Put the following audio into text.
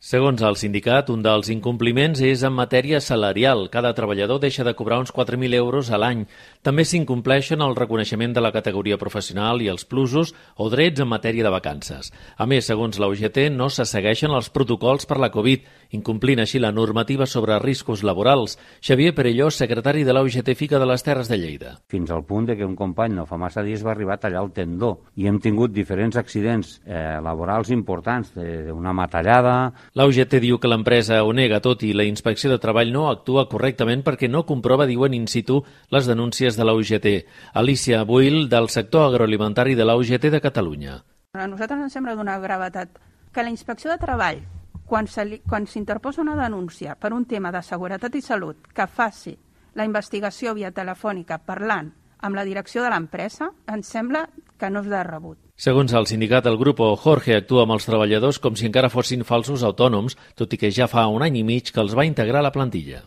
Segons el sindicat, un dels incompliments és en matèria salarial. Cada treballador deixa de cobrar uns 4.000 euros a l'any. També s'incompleixen el reconeixement de la categoria professional i els plusos o drets en matèria de vacances. A més, segons la UGT, no se segueixen els protocols per la Covid, incomplint així la normativa sobre riscos laborals. Xavier Perelló, secretari de la UGT FICA de les Terres de Lleida. Fins al punt de que un company no fa massa dies va arribar a tallar el tendó i hem tingut diferents accidents laborals importants, d'una matallada. La UGT diu que l'empresa ho nega tot i la Inspecció de Treball no actua correctament perquè no comprova, diuen in situ, les denúncies de la UGT. Alicia Buil, del sector agroalimentari de la UGT de Catalunya. A nosaltres ens sembla d'una gravetat que la Inspecció de Treball, quan s'interposa una denúncia per un tema de seguretat i salut, que faci la investigació via telefònica parlant amb la direcció de l'empresa, ens sembla que no és de rebut. Segons el sindicat, el grup Jorge actua amb els treballadors com si encara fossin falsos autònoms, tot i que ja fa un any i mig que els va integrar a la plantilla.